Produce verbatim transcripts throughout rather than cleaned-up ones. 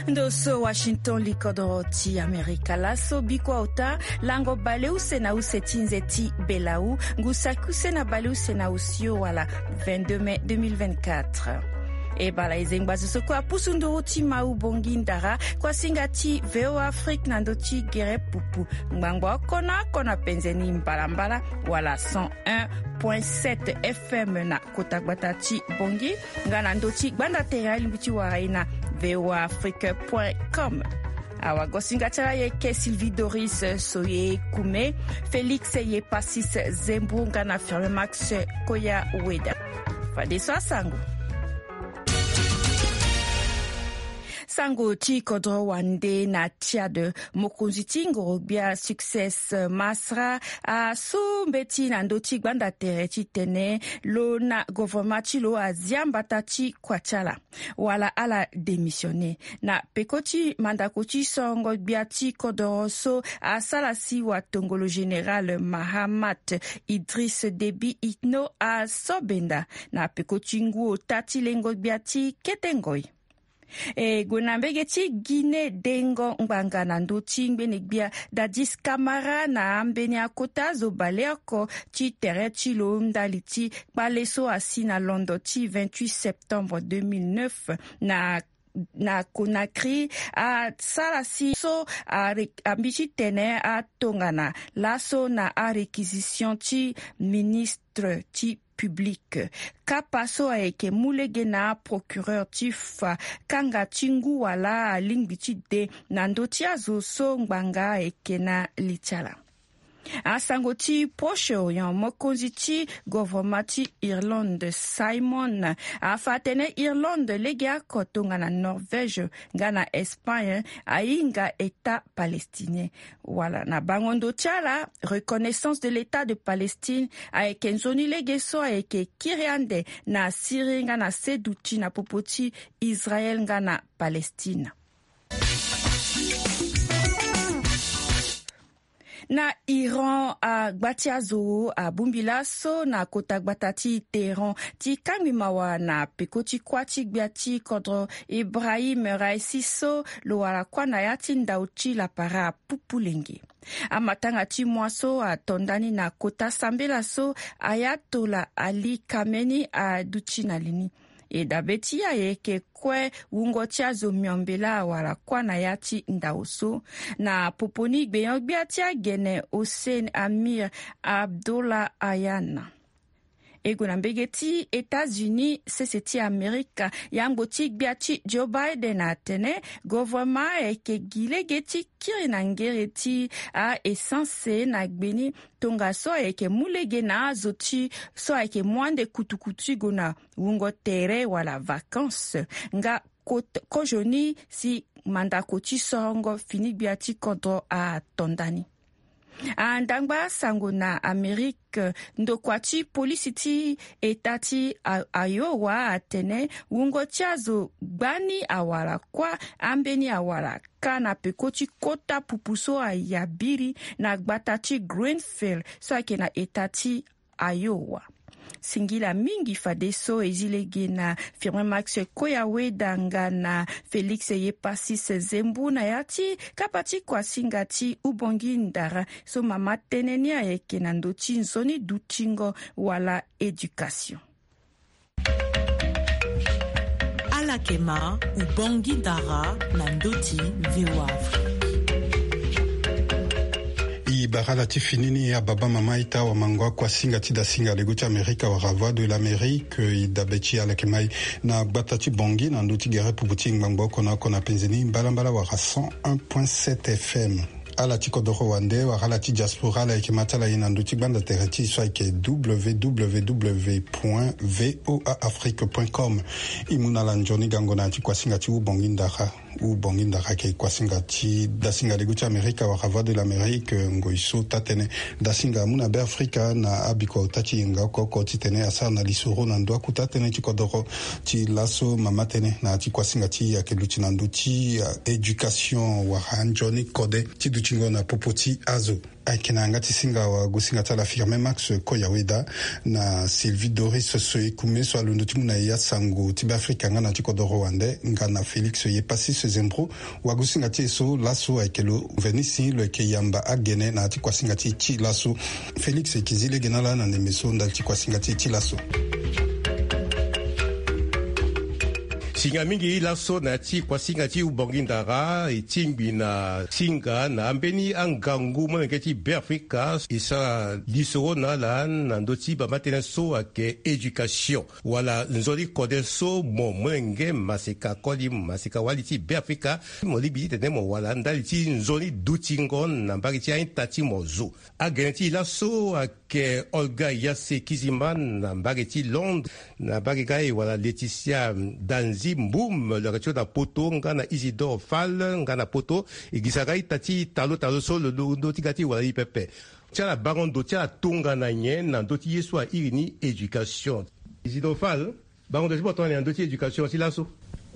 Ndo so Washington, likodoro ti Amerika. Laso bikua ota, lango baleuse na use ti nze ti belau, ngu saki use na baleuse na osio wala vingt-deux mai deux mille vingt-quatre. E bala e zengba zo so kue apusu nduru ti mau bongi ndara, kuasinga ti V O A Afrique na ndö ti gere pupu. Ngbangbo oko na oko na penze ni mbalambala, wala cent un point sept F M na kota gbata ti bongi, nga na ndö ti gbanda tere alingbi ti wara e na V O A Afrique point com. Awagosinga ti ala ayeke Sylvie Doris Soye Kume, Félix Yepasis Zembu nga na Firme Max Koya Weda. Fadeso asango. Sango ti kodro wande na Tchad, mokonzi ti ngorogbia Succès Masra asu mbeti na ndö ti gbanda tere titene lo na govoroma ti lo azia mbata ti kua ti ala wala ala démissionner. Na peko ti mandako ti sorongo gbia ti kodoro so asara si watongolo général Mahamat Idriss Déby Itno asobenda na peko ti ngu ota ti lengo gbia ti kete ngoi. E gue na mbege ti Guinée dengo ngbanga na ndö ti ngbene gbia Dadis Camara na ambeni akota zo baleoko ti tere ti lo ndali ti kpale so asi na londo ti vingt-huit septembre deux mille neuf na na Conakry asara si so a- ambi titene atongana laso na aréquisition ti ministre ti public. Kapa so ayeke mu lege na procureur ti fa kanga ti ngu wala alingbi ti de na ndö ti azo so ngbanga ayeke na li ti ala. Asango ti Proche-Orient, mokonzi ti govoroma ti Irlande Simon afa atene Irlande legeoko tongana Norvège nga na Espagne ahinga État palestinien. Wala na bango ndo ti ala, reconnaissance de l'État de Palestine ayeke nzoni lege so ayeke kiri ande na Syrie nga na seduti na popo ti Israël nga na Palestine. Na Iran, agba ti azo abongbi laso na kota gbata ti Téhéran ti kangbi mawa na peko ti kuâ ti gbia ti kodro Ebrahim Raisi so lo wara kuâ na ya ti ndau ti lapara apupu lenge. Amatanga ti mua so ato ndani na kota sambela so Ayatollah Ali Khamenei aduti na li ni. E dabe ti e ayeke kue wungo ti azo miombe laa wala kuâ na ya ti ndau so. Na popo ni gbenyo-gbia ti agene Hossein Amir Abdollahian. E gue na mbege ti États-Unis, sese ti Amerika, yangbo ti gbia ti Joe Biden atene govoroma ayeke gi lege ti kiri na ngere ti a-essence na gbe ni, tongaso ayeke mu lege na azo ti so ayeke mu ande kutukutu ti gue na wungo tere wala vacances nga kot- kozoni si mandako ti sorongo fini gbia ti kodro ato ndani. Andangba sango na Amerike, ndokua ti polisi ti eta ti A- Iowa atene wungo ti azo gbani awara kuâ ambeni awara kâ na peko ti kota pupu so ayabiri na gbata ti Greenville so ayeke na eta ti Iowa. Singila mingi fadeso e zi lege na Firmin Max Koyaweda nga na Félix Yepasis Zembu na ya ti kapa ti kuasinga ti Ubongi Ndara so mama tënë ni ayeke na ndö ti nzoni dutingo wala éducation. Ala yeke ma Ubongi Ndara na ndö ti V O A Afrique. E bara ala ti fini ni, ababa mama, ita, wamango, akuasinga ti dasinga lego ti Amerika wala Voix de l'Amérique. E dabe ti ala yeke mai na gbata ti Bangui na ndö ti gere pupu ti ngbangbo oko na oko na penze ni mbalambala wala cent un point sept F M. Ala ti kodoro wande wala ala ti diaspora, ala yeke ma ti ala ye na ndö ti gbanda tere ti e so ayeke W W W point V O A Afrique point com. E mu na ala nzoni gango na ya ti kuasinga ti Ubongi Ndara. Ubongi Ndara ayeke kuasinga ti dasinga lego ti Amerika wala Voix de l'Amérique, ngoi so taa-tënë dasinga amu na Beafrika na abikua ota ti yenga oko oko titene asara na lisoro na ndö aku taa-tënë ti kodoro. Ti laso mama tënë na ya ti kuasinga ti e ayeke luti na ndö ti, eh, éducation wala nzoni kode ti duti Tingo na popo ti azo. Ayeke na yanga ti singa wagosinga ti ala Firmin Max Koyaweda na Sylvie Doris Soyekume so alondo ti mu na e asango ti Beafrika nga na ti kodoro wande nga na Félix Yepassis Zembro. Wagosinga ti e so laso ayeke lo Venisi lo yeke yamba agene na ya ti kuasinga ti e ti laso. Félix e yeke zi lege na ala na ndembe so ndali ti kuasinga ti e ti laso. Singa mingi laso na ya ti kuasinga ti Ubangui Ndara e tingbi na singa na ambeni angangu molenge ti Beafrika e sara lisoro na ala na ndö ti bamba tënë so ayeke éducation wala nzoni kode so mo molenge maseka koli maseka wali ti Beafrika mo lingbi titene mo wara ndali ti nzoni dutingo na mbage ti a-ita ti mo zo. Agene ti e laso ayeke Olga Yase Kizimba na mbage ti Londres, na mbage ga e wala Laetitia Danzi Mboum lo yeke ti lo na poto nga na Isidore Fall nga na poto. E gisa ga ita ti talo talo so lo londo ti ga ti e wala e pepe. Ti ala bango ndo ti ala tongana nyen na ndö ti ye so airi ni éducation? Isidore Fall. Bango ndo ti mo tongana nyen na ndö ti éducation ti laso?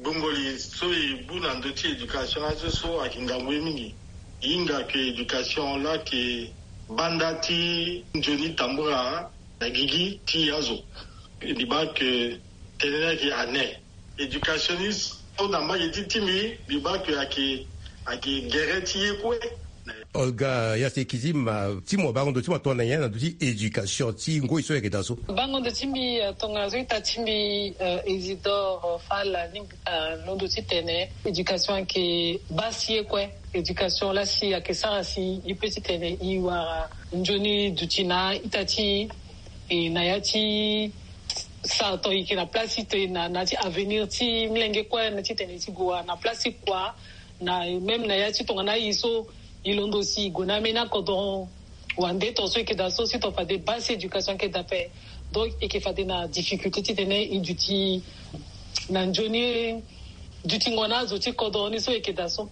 Gbongoli so e bu na ndö ti éducation laso so ayeke ngangu ye mingi. E hinga ke éducation laa ayeke banda ti nzoni tambula na gigi ti azo. Mbi baa ke tënë ni ayeke ane. Éducation ni so na mbage ti ti mbi, mbi baa ke ayeke ayeke gere ti ye kue. Olga Yase Kizimba, ti mo bango ndo ti mo atongana nyen na ndö ti éducation ti ngoi so e yeke daa so? Bango ndo ti mbi, eh, tongana so ita ti mbi, eh, Isidore Fall alingbi, eh, londo titene éducation ayeke baa si ye kue. Éducation laa si ayeke sara si e peut titene e wara nzoni duti na a-ita ti e, na ya ti sara tongana e yeke na place ti tene na, na ya ti avenir ti molenge kue na titene e ti gue wara na place ti kua. Na même na ya ti tongana aye so e londo si e gue na ambeni akodoro wande, tongana so e yeke daa so si tongana fade baa si éducation ayeke daa ape. Donc e yeke fade na difficulté titene e duti na nzoni dutingo na azo ti kodoro ni so e yeke daa so.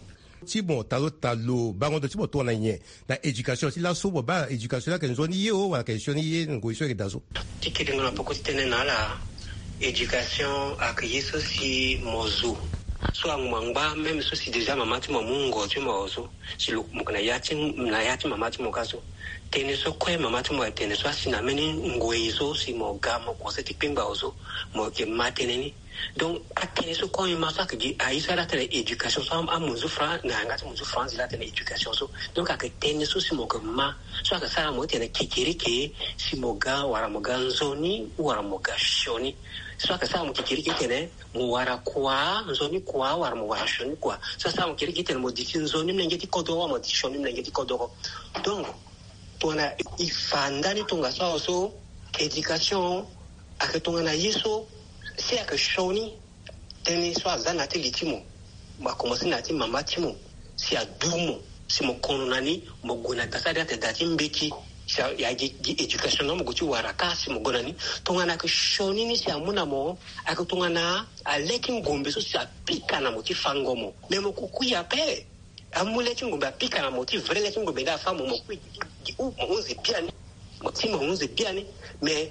Ti mo talo talo bango ndo ti mo tongana nyen na éducation ti laso? Mo baa éducation ni ayeke nzoni ye o wala ayeke sioni ye ngoi so e yeke daa so? Ti kiringo na peko ti tënë na ala, éducation ayeke ye so si mo zo so angba ngba même so si déjà mama ti mo amu ngo ti mo awe so, si lo mo yeke na ya ti na ya ti mama ti mo kâ so. Tënë so kue mama ti mo ayeke tene so asi na mbeni ngoi so si mo ga mo kose ti kpengba awe so, mo yeke ma tënë ni. Donc atënë so kue e ma so ayeke gi aye so ala tene éducation so amu nzu franc na yanga ti mo nzu franc zi la tene éducation so. Donc ayeke tënë so si mo yeke ma so ayeke sara mo ti tene kekereke si mo ga wala mo ga nzoni wala mo ga sioni. So ayeke sara mo kekereke tene mo wara kua nzoni kua wala mo wara sioni kua. So asara mo kekereke tene mo duti nzoni molenge ti kodoro wala mo duti sioni molenge ti kodoro. Donc tongana e fa ndani tongaso awe so éducation ayeke tongana ye so si ayeke sioni. Tënë so aza na ya ti li ti mo, mo akomanse na ya ti mama ti mo si adu mo si mo kono na ni, mo gue na da so ade ate da ti mbeti. Si a- ya gi gi éducation na mo gue ti wara kâ si mo gue na ni. Tongana ayeke sioni ni si amu na mo, ayeke tongana ale ti ngombe so si apika na mo ti fango mo. Me mo kuku ya ape. Amu le ti ngombe apika na mo ti vrai le ti ngombe nde afa mo mo kui gi u mo hunzi biani. Mo ti mo hunzi biani. Mais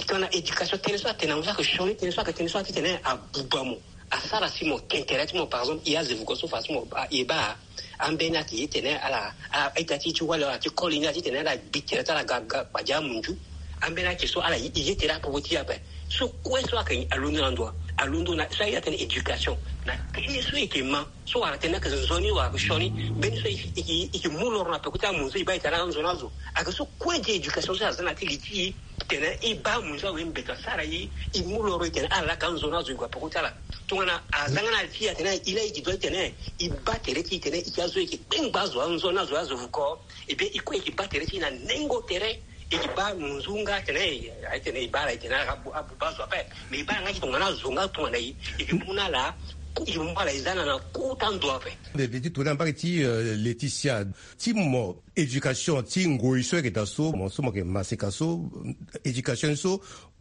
tongana éducation tënë so atene na mo so ayeke sioni tënë so ayeke tënë so atitene abuba mo. Asara si mo tene tere ti mo par exemple e aze vuko so fa si mo e baa. Ambeni ayeke ye tene ala a ita ti ti wali ala ti koli ni ala titene ala gbi tere ti ala ga ga kpadia amunzu. Ambeni ayeke so ala ye tere apopo ti e ape. So kue so ayeke alondo na ndo alondo na so aye atene éducation na tënë so e yeke ma. So wara tene ayeke nzoni wala ayeke sioni mbeni so e yeke mu loro na peko ti amunzu e baa e tene ala nzoni azo. Ayeke so kue di éducation so aza na ti li ti e tene e baa amunzu awe mbeta asara e e mu loro e tene ala laa ka nzoni azo e gue na peko ti ala. Tongana aza nga na li ti e atene e laa e gi dua ti tene e baa tere ti e tene e ti azo e yeke kpengba azo anzoni azo azo vuko. Ebien e kue e yeke baa tere ti e na nengo tere. E yeke baa munzu nga atene aye tene e baa ala e tene ala abuba azo ape. Mais e baa ala nga ti tongana azo nga tongana e e yeke mu na ala. E yeke mu ala e za na na kota ndo ape. Ndede ti tongana mbage ti Laetitia ti mo éducation ti ngoi so e yeke daa so mo so mo yeke maseka so éducation so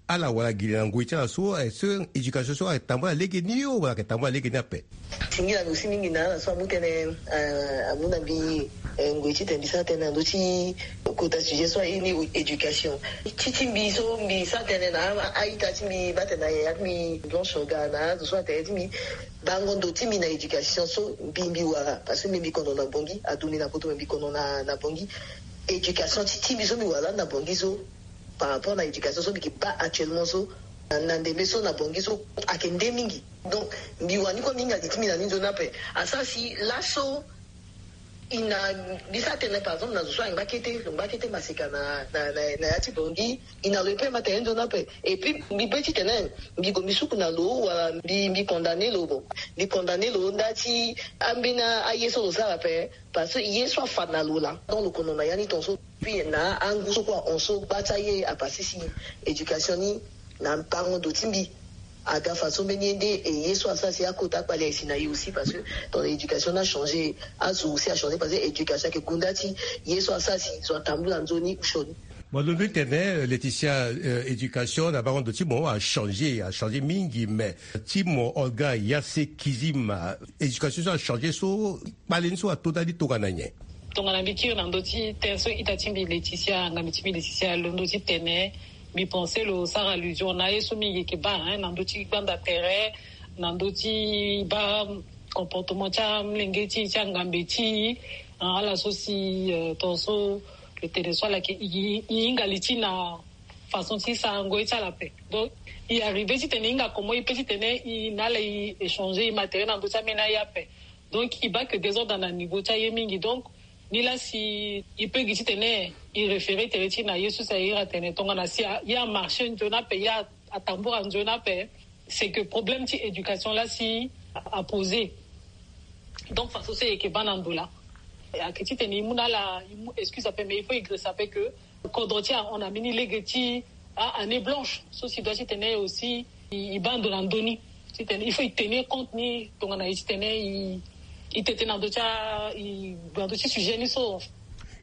Ala wala gi na ngoi ti ala so, eh, so éducation so ayeke tambula lege ni o wala ayeke tambula lege ni ape? Singila lo aussi mingi na ala so amu tënë, eh, amu na mbi, eh, ngoi titene mbi sara tënë na ndö ti kota sujet so aye ni éducation. Ti ti mbi so mbi sara tënë na a- a-ita ti mbi, baa tene na yaya ti mbi Blanche Oga na azo so atene ti mbi bango ndo ti mbi na éducation so mbi mbi wara, parce que mbi mbi kono na Bangui, aduti na poto, mbi mbi kono na, na Bangui. Éducation ti ti mbi so mbi wara na Bangui so, par rapport na éducation so mbi ke baa actuellement so, na, na ndembe so na Bangui so, ayeke nde mingi. Donc mbi wani kue mbi hinga li ti mbi na ni nzoni ape. Asara si laso i na, mbi sara tënë par exemple na zo so ayeke ngba kete, lo ngba kete maseka na, na, na, na ya ti Bangui, i na lo e pe ma tene nzoni ape. Et puis mbi pe titene mbi gue mbi suku na lo wala mbi, mbi condamné lo, bon, mbi condamné lo nda ti ambeni aye so lo sara ape. Parce que ye so afa na lo laa, donc lo kono na ya ni tongaso. Puis na angu so kue ahon so gba ti aye apasé si éducation ni na bango ndo ti mbi aga fa so mbeni ye nde. E ye so asara si akota akpali aye si na ye aussi, parce que ton éducation ni achangé, azo aussi achangé, parce que éducation ayeke gonda ti ye so asara si zo atambula nzoni ou sioni. Mo londo ti tene, euh, Laetitia, euh, éducation na bango ndo ti mo achangé, achangé mingi, mais ti mo Olga Yase Kizim, éducation so achangé so, kpale ni so ato ndali tongana nyen? Tongana mbi kiri na ndö ti tënë so ita ti mbi Laetitia, ngambe ti mbi Laetitia alondo ti tene, mbi pensé lo sara allusion na aye so mbi yeke baa, hein, na ndö ti gbanda tere, na ndö ti baa comportement ti amolenge ti, ti angambe ti, ah, ala so si, euh, tongaso lo tene so ala yeke, i, i, i hinga li ti na façon ti sarango ye ti ala ape. Donc i arrivé titene i hinga comment i pe titene i na ala i échanger i ma tere na ndö ti ambeni aye ape. Donc i baa que désordre na niveau ti aye mingi. Donc ni laa si i pe gi titene i référé tere ti i na ye so si aye iri atene tongana si a- ye amarché nzoni ape, ye a- atambura nzoni ape, c'est que problème ti éducation laa si a- aposé. Donc façon so e yeke baa na ndo laa, ayeke titene i mu na ala i mu excuse ape, mais il faut i girisa ape que kodro ti ahon na mbeni lege ti a- année blanche so si doit titene aussi i, i baa ndo na ndö ni. Titene il faut i tenir compte ni tongana i titene i, i tete na ndö ti a- i gue na ndö ti sujet ni so.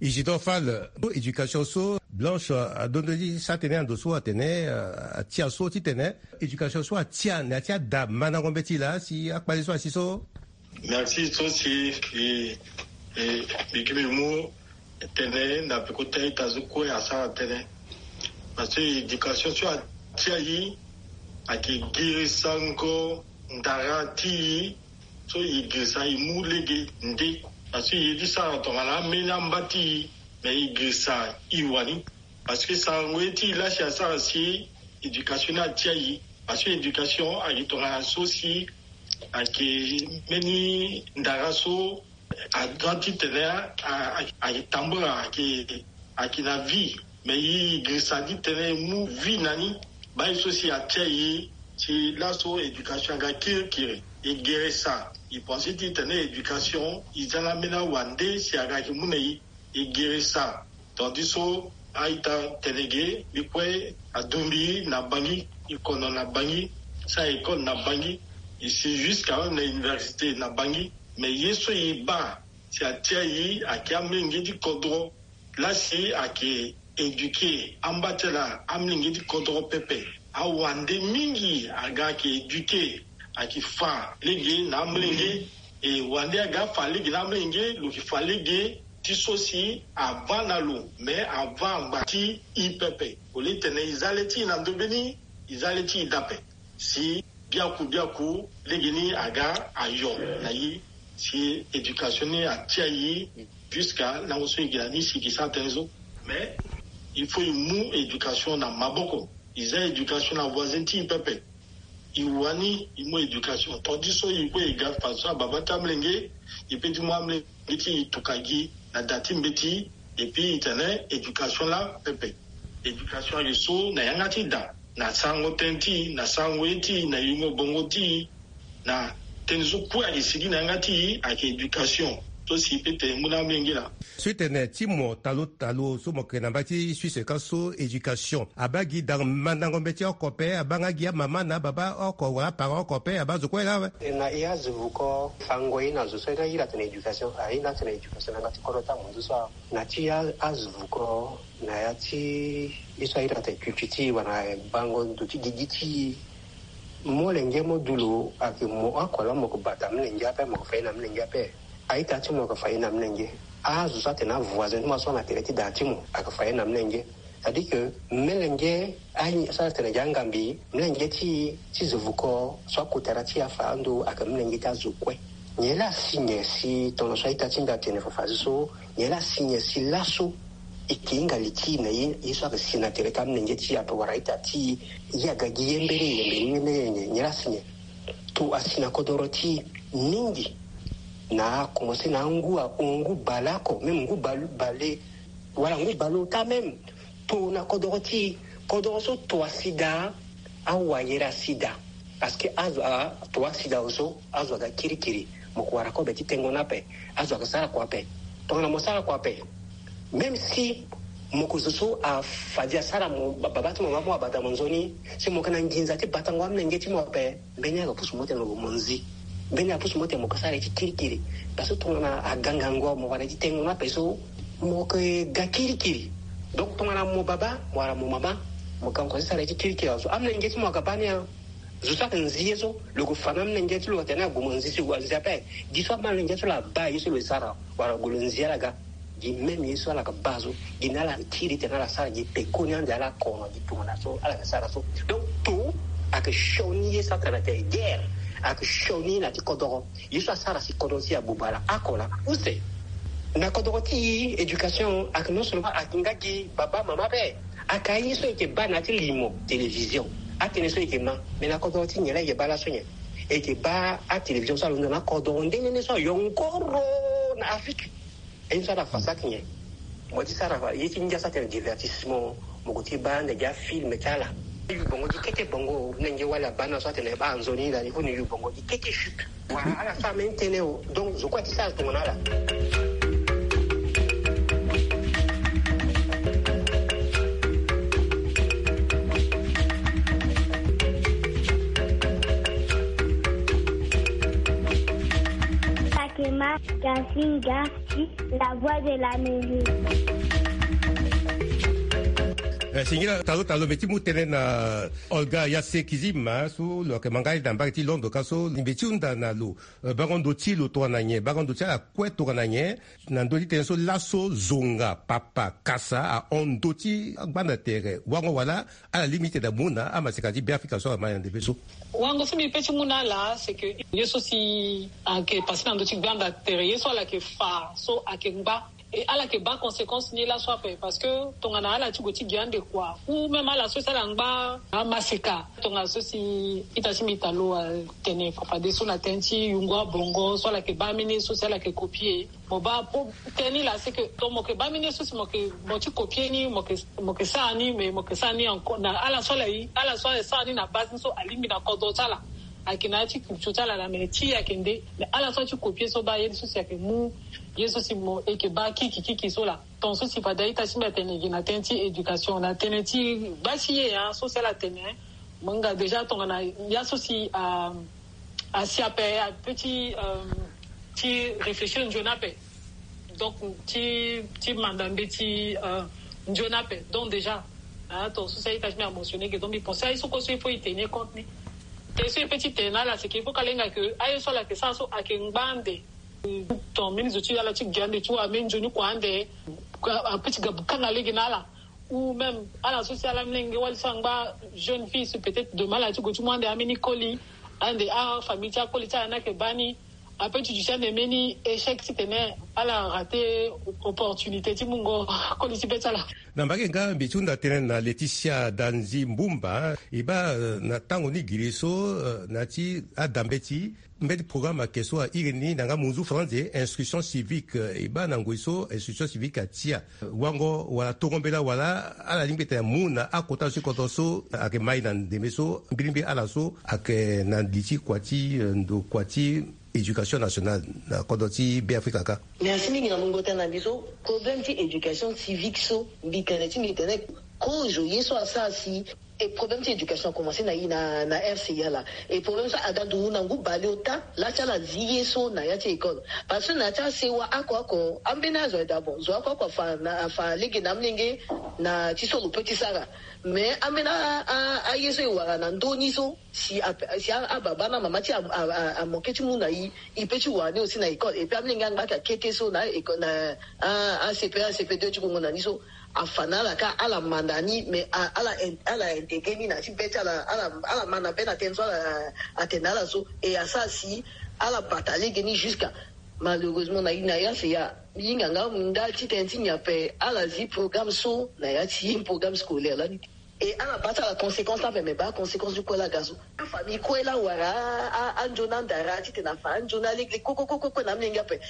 Isidore Fall, éducation so Blanche, euh, alondo ti sara tënë na ndo so atene, euh, atia so titene éducation so atia na ya ti ada mandango mbeti laa si akpale so asi so. Merci so si e, e, mbi gi mbi mu tene na peko ti a-ita so kue asara tënë. Parce que éducation so atia e ayeke girisango ndara ti e so e girisa e mu lege nde. Parce que e ye ti sara tongana ambeni amba ti e, mais e girisa e wani. Parce que sarango ye ti e laa si asara si éducation ni atia e. Parce que éducation ayeke tongana so si ayeke mbeni ndara so adan titene a- a- a- ayeke tambula, ayeke, ayeke na vie. Mais e girisa titene e mu vie na ni. Baa ye so si atia e si laso éducation aga kirikiri. E girisa, e pensé titene éducation e za na ambeni awande si aga ayeke mu na e. E girisa. Tandis so a-ita tene ge, mbi kue adumbi na Bangui, e kono na Bangui, sara école na Bangui, e si jusqu'à même na université na Bangui. Mais ye so e baa si atia e ayeke amolenge ti kodro. Laa si ayeke éduqué amba ti ala amolenge ti kodro pepe. Awande mingi aga ayeke éduqué, ayeke fa lege na amolenge. E wande aga afa lege na amolenge, lo yeke fa lege ti so si avaa na lo, mais avaa angba ti e pepe. Au lieu titene e za le ti e na ndo mbeni, e za le ti e dape. Si biaku biaku lege ni aga ayo na e, si éducation ni atia e jusqu'à lango so e gi na ni si e ke sara tënë so. Mais il faut e mu éducation na maboko. E za éducation na voisin ti e pepe. E wani e mu éducation. Tandis so e kue e ga fa so ababa ti amolenge, e pe ti mu amolenge ti e tuka gi na da ti mbeti. Et puis e tene éducation laa pepe. Éducation ayeke so na yanga ti da, na sarango tënë ti e, na sarango ye ti e, na yingo bongo ti e, na tënë so kue ayeke sigi na yanga ti e ayeke éducation. so si e tene mu na amolenge laa. So e tene ti mo talo talo so mo yeke na mbage ti Suisse ka so éducation abaa gi daa mandango mbeti oko ape, abaa nga gi amama na ababa oko wala aparent oko ape, abaa zo kue laa awe. E na e azo vuko fango ye na zo so e na iri atene éducation, a iri atene éducation na yanga ti kodro ti amunzu so awe. Na ti a azo vuko na ya ti ye so a iri atene culture ti e wala bango ndo ti gigi ti e. Molenge mo du lo ayeke mo oko laa mo yeke bata amolenge ape, mo yeke fa ye na amolenge ape. A-ita ti mo ayeke fa ye na amolenge. Azo so atene avoisin ti mo so na tere ti daa ti mo ayeke fa ye na amolenge. C'est-à-dire que molenge aye so atene gi angambi, molenge ti ti zo vuko so akotara ti e afa ando ayeke molenge ti azo kue. Nyen laa asi nyen si tongana so a-ita ti mbi atene fafazi so, nyen laa asi nyen si laso e yeke hinga li ti e na ye, ye so ayeke si na tere ti amolenge ti e ape wala a-ita ti e, ye aga gi ye mbeni nyen, mbeni nyen, mbeni nyen, nyen laa asi nyen. To asi na kodoro ti e mingi. Na akomanse na angu ahon, ngu baleoko, même ngu bal- bale wala ngu baleota même. To na kodoro ti e, kodoro so to asi daa, awayere asi daa. Parce que azo a to asi daa so, azo aga kirikiri. Mo ko wara kobe ti tengo ni ape. Azo ayeke sara kua ape. Tongana mo sara kua ape, même si mo yeke zo so afadi asara mo ba- baba ti mo mama mo abata mo nzoni, si mo yeke na nginza ti batango amolenge ti mo ape, mbeni ayeke pusu mo ti tene mo gue mo nzi. Mbeni ayeke pusu mo ti tene mo yeke sara ye ti kirikiri. Parce que tongana aga ngangu mo wara ye ti tengo ni ape so, mo yeke ga kirikiri. Donc tongana mo baba wala mo mama, mo ga mo yeke sara ye ti kirikiri awe so, amolenge ti mo ayeke baa ni a. Zo so ayeke nzi ye so, lo yeke fa na amolenge ti lo atene ague mo nzi so, ague anzi ape. Gi so amolenge ti lo abaa ye so lo sara, wala gue lo nzi ala ga. Gi même ye so ala yeke baa so, gi na ala kiri tene ala sara gi pekoni ande ala kono gi tongana so ala yeke sara so. Donc to ayeke sioni ye so atene atene guerre, ayeke sioni na ti kodoro. Ye so asara si kodro ti e abuba laa, oko laa use. Na kodro ti e éducation ayeke non seulement ayeke nga gi baba mama ape. Ayeke aye so e yeke baa na ya ti limo télévision. Atënë so e yeke ma. Mais na kodro ti e nyen laa e yeke baa laso nyen? E yeke baa atélévision so alondo na kodro nde nde so ayongoro na Afrique. Aye so ala fa saki nyen? Mo ti sara ye ti ngia so atene divertissement. Mo ko ti baa ande gi afilm ti ala. Yu bongo gi kete bongo, nenge wali abaa na so atene baa nzoni lani fo ni yu bongo gi kete chupe. Wala ala so ameni tënë o. Donc zo kue ti sara tongana ala. Sakema Gasinga. La voix de l'Amérique. Eh, singila talo talo mbi ti mu tënë na Olga Yase Kizima so lo yeke ma nga na mbage ti Londres ka so mbi ti hunda na lo. Eh, bango ndo ti lo tongana nyen? Bango ndo ti ala kue tongana nyen? Na ndö ti tënë so laso zonga papa kasa ahon ndo ti gbanda tere wango wala ala lingbi ti tene amu na amaseka ti Beafrika so ala ma na ndembe so. Wango so mbi pe ti mu na ala c'est que ye so si ayeke passé na ndö ti gbanda tere, ye so ala yeke fa so ayeke ngba. E ala yeke baa conséquence ni laso ape parce que tongana ala ti gue ti gi ande kua ou même ala so si ala ngba amaseka. Tongana so si ita ti mbi ta lo atene fafadeso na tënë ti yungu abongo so ala yeke baa ambeni ye so si ala yeke copier. Mo baa po tënë ni laa c'est que donc mo yeke baa mbeni ye so si mo yeke mo ti copier ni, mo yeke mo yeke sara ni, mais mo yeke sara ni encore na ala so ala ye, ala so ala sara ni na base ni so alingbi na kodro ti ala. Ayeke na ya ti culture ti ala laa, mais ti e ayeke nde. Mais ala so ala ti copier so baa ye so si ayeke mu ye so si mo e yeke baa kiki kiki so laa. Ton so si fade a-ita ti mbi atene gi na tënë ti éducation na tënë ti gba ti ye ya so si ala tene. Mo hinga déjà tongana ya so si a asi ape ape ti ti réfléchir nzoni ape. Donc ti ti manda mbeti nzoni ape. Donc déjà ato so si a-ita ti mbi amentionné ge, donc mbi pensé aye so kue so il faut e tenir compte ni. Te so e pe ti tene na ala c'est que il faut ka lenga ke aye so ala yeke sara so ayeke ngba ande. Ton mbeni zo ti ala ti gi ande ti wa mbeni nzoni kua ande. Ape ti ga kanga lege na ala. Ou même ala so si ala mlenge wali so angba jeune fille so peut-être demain ala ti gue ti mu ande ambeni koli. Ande afamille ti akoli ti ala ni ayeke baa ni. Ape ti duti ande mbeni échec titene ala raté opportunité ti mungo koli ti be ti ala. Na mbage nga mbi ti hunda tënë na Laetitia Danzi Mbumba. E baa na tango ni giri so na ya ti adambe ti mbeti programme ayeke so a iri ni na yanga munzu français instruction civique. E baa na ngoi so instruction civique atia wango wala tongo mbela wala ala lingbi tene amu na akota so ti kodro so ayeke mai na ndembe so mbirimbi ala so ayeke na li ti kua ti ndo kua ti éducation nationale na kodro ti Beafrika kâ. Merci mingi na mungo tënë na mbi so. Problème ti éducation civique so, mbi tene ti mbi tene kozo ye so asara si e problème ti éducation akomanse na i na, na R C A la. E problème so aga nduru na ngu baleota laa ti ala zi ye so na ya ti école. Parce que na ya ti asewa oko oko ambeni azo aye daa bon, zo oko oko afa na, afa lege na amolenge na ti so lo peut ti sara. Mais ambeni a, a, aye so e wara na ndö ni so si a, si a, ababa na mama ti a, a, a, amoke ti mu na i, i peut ti wara ni aussi na école. Et puis amolenge angba ake akete so na école, na a, a C P un, a C P deux ti gongo na ni so, afa na ala kâ, ala manda ni, mais a, ala in-, ala intégrer ni na ti be ti ala, ala, ala manda be na tënë so ala atene na ala so. Et asara si ala bata lege ni jusqu'à, malheureusement, na, na ya se ya, hinga nga mu nda ti tënë ti nyen ape, ala zi programme so na ya ti programme scolaire lani. Et ala baa ti ala conséquence ape, mais baa conséquence ti kue laa aga so. Afamille kue laa awara a, a, anzoni andara titene afa anzoni alege kue kue kue kue na amolenge ape.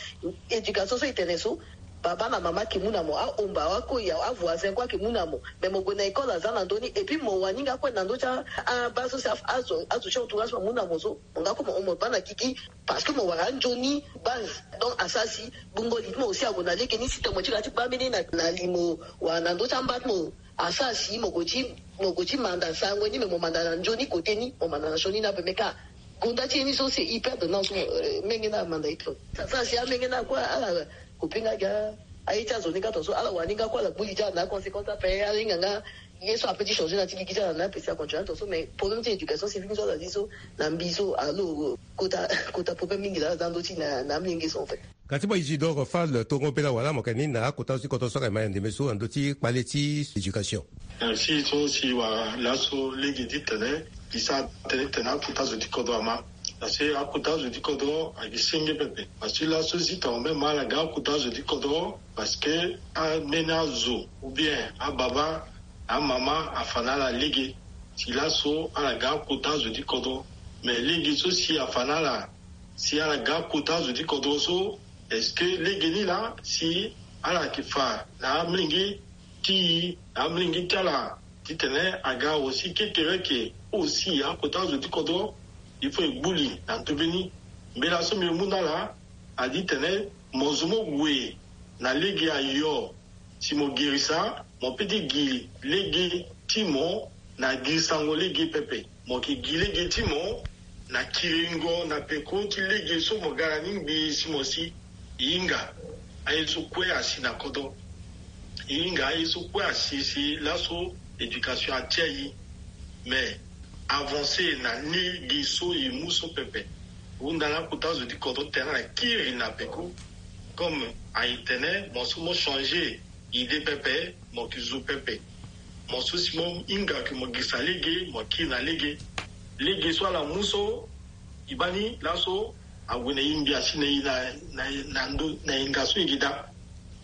Éducation so e tene so, baba na mama ayeke mu na mo, ahomba, akoi, avoisin kue ayeke mu na mo. Mais mo gue na école aza na ndö ni, et puis mo wani nga kue na ndö ti a, abaa so si a, azo, azo ti entourage mo amu na mo so, mo nga kue mo hon mo baa na gigi, parce que mo wara anzoni base. Donc asara si gbungo li ti mo aussi ague na lege ni, si tene mo ti ga ti baa mbeni na, na li mo wala na ndö ti amba ti mo. Asara si mo gue ti, mo gue ti manda sango ni, me mo manda na nzoni kote ni, mo manda na sioni ni ape. Me ka gonda ti ye ni so c'est hyper de non so, euh, menge na amanda ye trop. Asara si amenge na kue ala kopi nga gi aye ti azo ni ka tongaso, ala wani nga kue ala gbu li ti ala na aconséquence ape, ala hinga nga ye so ape ti changer na ti gigi ti ala na ape si acontinue tongaso. Mais problème ti éducation civique so ala zi so na mbi so, alo kota, kota problème mingi laa aza ndö ti na, na amolenge so en fait. Ka ti mo Isidore Fall, tongo mbela wala mo yeke ni na akota zo ti kodro so ayeke ma ya ndembe so na ndö ti kpale ti éducation. Merci so si wara laso lege titene e sara tene titene akota zo ti kodro ama. Parce que akota zo ti kodro ayeke senge pepe. Parce que laso zi tongana même ala ga akota zo ti kodro, parce que ambeni azo ou bien ababa, amama afa na ala lege. Si laso ala ga akota zo ti kodro, mais lege so si afa na ala, si ala ga kota azo ti kodro so, est-ce que lege ni laa si ala yeke fa na amolenge ti e, na amolenge ti ala, titene aga aussi kekereke aussi akota azo ti kodro? Il faut e gbu li na ndo mbeni. Mbela so mbi mu na ala adi titene mo zo mo gue na lege ayo. Si mo girisa, mo peut ti gi lege ti mo na girisango lege pepe. Mo yeke gi lege ti mo na kiringo na peko ti lege so mo ga na ni ngbii si mo si. E hinga aye so kue asi na kodro. E hinga aye so kue asi si laso éducation atia e. Mais avancer na lege so e mu so pepe. Hunda na akota zo ti kodro titene ala kiri na peko. Comme a e tene mo so mo changer idée pepe, mo yeke zo pepe. Mo so si mo hinga ke mo girisa lege, mo kiri na lege. Lege so ala mu so, e baa ni laso ague na e ngbii asi na e na, na, na ndo, na e nga so e yeke daa.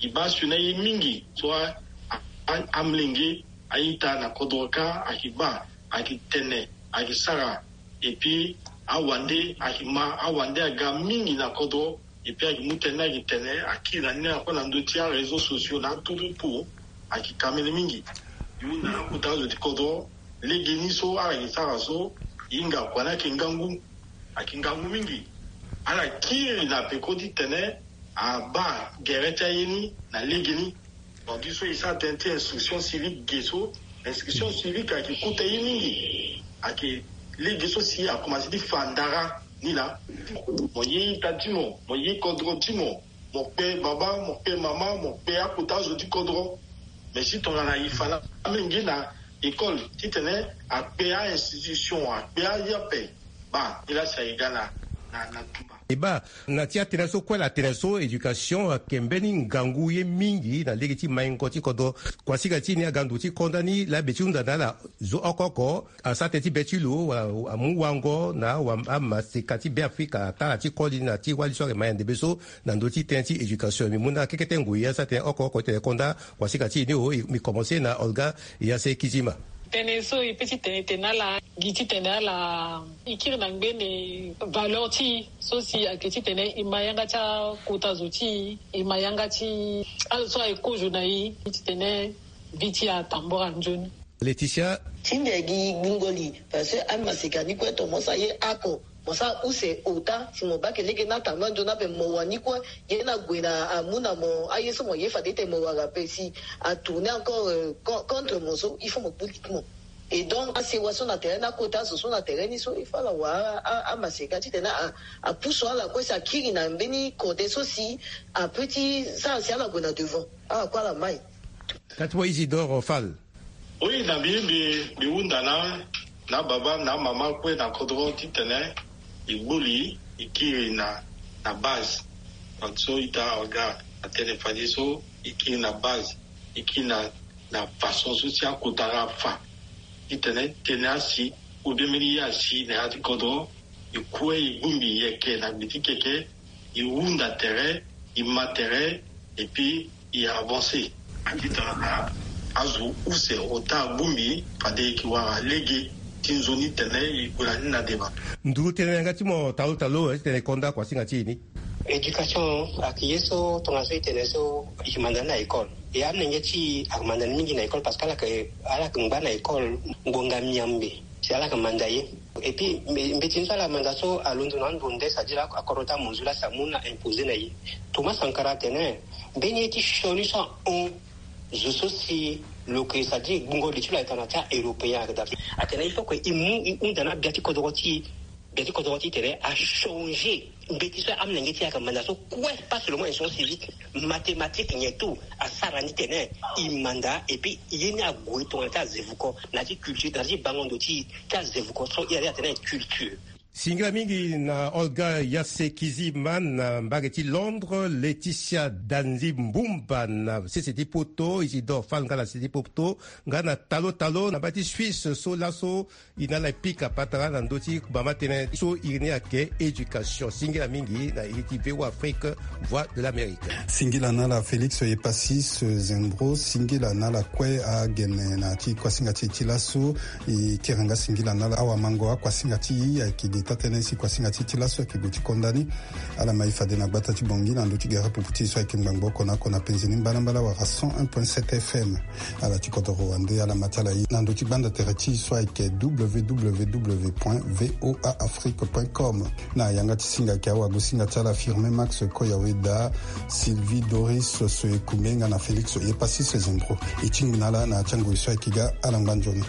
E baa sioni na e mingi so a, a, a, amolenge a-ita na kodro kâ ayeke baa, ayeke tene, ayeke sara. Et puis awande ayeke ma, awande aga mingi na kodro. Et puis ayeke mu tënë ni, ayeke tene akiri na ni na kue na ndö ti aréseaux sociaux na aturuku. Ayeke kamene mingi. E hunda na akota azo ti kodro, lege ni so ala yeke sara so, e hinga kua ni ayeke ngangu. Ayeke ngangu mingi. Ala kiri na peko titene abaa gere ti aye ni na lege ni. Donc so e sara tënë ti instruction civique ge so, instruction civique ayeke kota ye mingi. Ayeke lege so si akomanse ti fa ndara ni laa. Mo ye ita ti mo, mo ye kodro ti mo, mo kpe baba, mo kpe mama, mo kpe akota zo ti kodro. Mais si tongana e fa na amolenge na école titene akpe a-institution, akpe aye ape, baa ni laa si ayeke ga na, na, na tumba. E baa, na ti atënë so kue ala tene so, éducation ayeke mbeni ngangu ye mingi na lege ti maingo ti kodro. Kuasika ti e ni aga ndo ti konda ni laa be ti hunda na ala zo oko oko asara tënë ti be ti lo wala amu wango na amaseka ti Beafrika, atara ti koli na ti wali so ayeke ma ya ndembe so na ndö ti tënë ti éducation. Mbi mu na ala kekete ngoi asara tënë oko oko titene e konda kuasika ti e ni o. Mbi komanse na Olga Yase Kizima. Tënë so e peut ti tene tene na ala gi titene ala e kiri na ngbene valeur ti e so si ayeke titene e ma yanga ti akota zo ti e, e ma yanga ti azo so aye kozo na e titene vie ti e atambora nzoni. Laetitia. Ti mbi agi gbungo li parce que amaseka ni kue tomo sara ye oko. Mo sara use ota si mo baa ke lege na tanga nzoni ape mo wani kue. Ye ni ague na amu na mo aye so mo ye fade ete mo wara ape si atourner encore, euh, con- contre mo so il faut mo boutique mo. Et donc asewa so na terrain ni, akota azo so na terrain ni so il faut ala wara a- a- amaseka titene a- apusu ala kue si akiri na mbeni kode so si apeut ti sara si ala gue na devant. Ala kue ala mai. Kati mo Isidore Fall. Oui, na mbi mbi mbi hunda na na baba na mama kue na kodro titene e gbu li e kiri na na base. Donc so ita aga atene fade so e kiri na base, e kiri na na façon so si akota nga afa. Titene tene asi ou bien mbeni ye asi na ya ti kodro e kue e gbu mbi yeke na gbe ti keke, e hunda tere, e ma tere, et puis e avancer. Akita na azo use ota agbu mbi fade e yeke wara lege ti nzoni tene e gue na ni na deba. Nduru tene na yanga ti mo talo talo, eh, titene e konda kuasinga ti e ni. Éducation ayeke ye so tongaso e tene so e yeke manda ni na école. E amolenge ti e ayeke manda ni mingi na école parce que ala yeke ala yeke ngba na école ngonga miambe. Si ala yeke manda ye. Et puis mbe- mbeti ni so ala manda so alondo na ando nde, c'est-à-dire akodro ti amonzu laa si amu na imposer na ye. Thomas Sankara atene mbeni ye ti sioni so ahon zo so si lo yeke, c'est-à-dire gbungo li ti lo ayeke na ya ti a-européen ayeke daa. Atene il faut que e mu e hunda na gbia ti kodro ti e. Gbia ti kodro ti e tene achanger mbeti so amolenge ti e ayeke manda so kue, pas seulement instruction civique, mathématique nyen tout asara ni tene e manda. Et puis ye ni ague tongana ti azevuko na ya ti culture, na ya ti bango ndo ti e ti azevuko so e ari atene culture. Singila mingi na Olga Yasekiziman na mbage ti Londres, Laetitia Danzi Mbumba na sese ti poto, Isidore Fall nga na sese ti poto, nga na talo talo na mbage ti Suisse so laso e na ala e pika patara na ndö ti bama tënë so iri ni ayeke éducation. Singila mingi na iri ti V O A Afrique, Voix de l'Amérique. Singila na ala Félix Epasis Zembro, singila na ala kue agene na ya ti kuasinga ti e ti laso. E kiri nga singila na ala awamango akuasinga ti e ayeke ge taa-tënë si kuasinga ti e ti laso ayeke gue ti konda ni. Ala ma e fade na gbata ti Bangui na ndö ti gere pupu ti e so ayeke ngbangbo oko na oko na penze ni mbalambala wala cent un point sept F M. Ala ti kodoro wande ala ma ti ala ye na ndö ti gbanda tere ti e so ayeke W W W point V O A Afrique point com. Na yanga ti singa ayeke awagosinga ti ala Firmin Max Koyaweda, Sylvie Doris Soekumbe nga na Félix Epasis Zembro. E tingbi na ala na ya ti angoi so ayeke ga, ala ngba nzoni.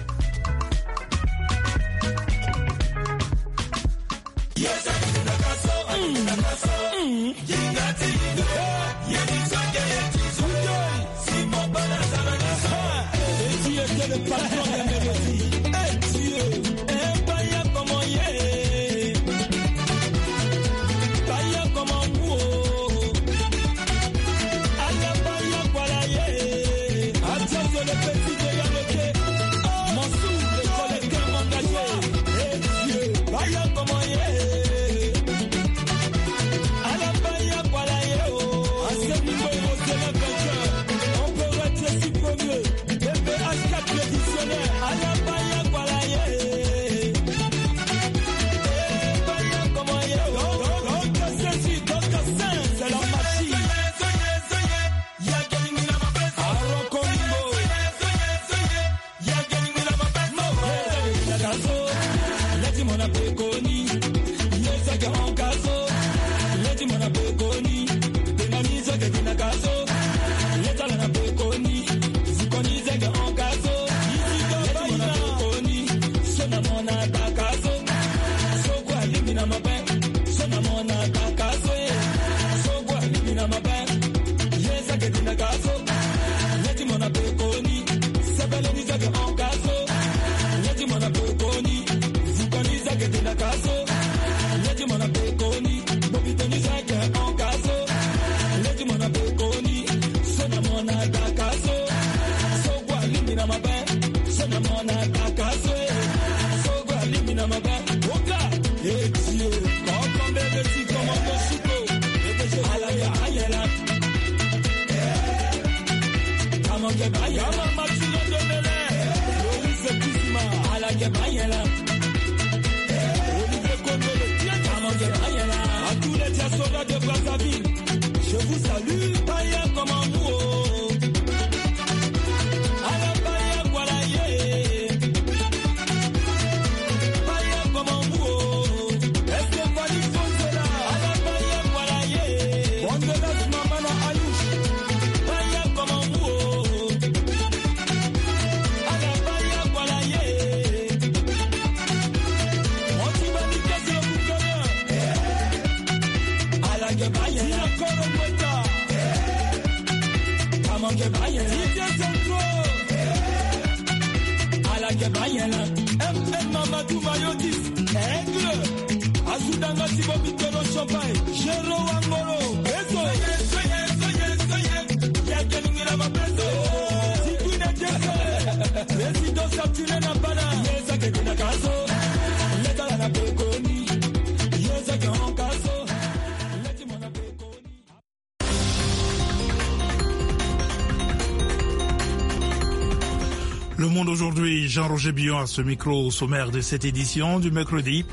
Le monde aujourd'hui, Jean-Roger Billon à ce micro. Au sommaire de cette édition du mercredi,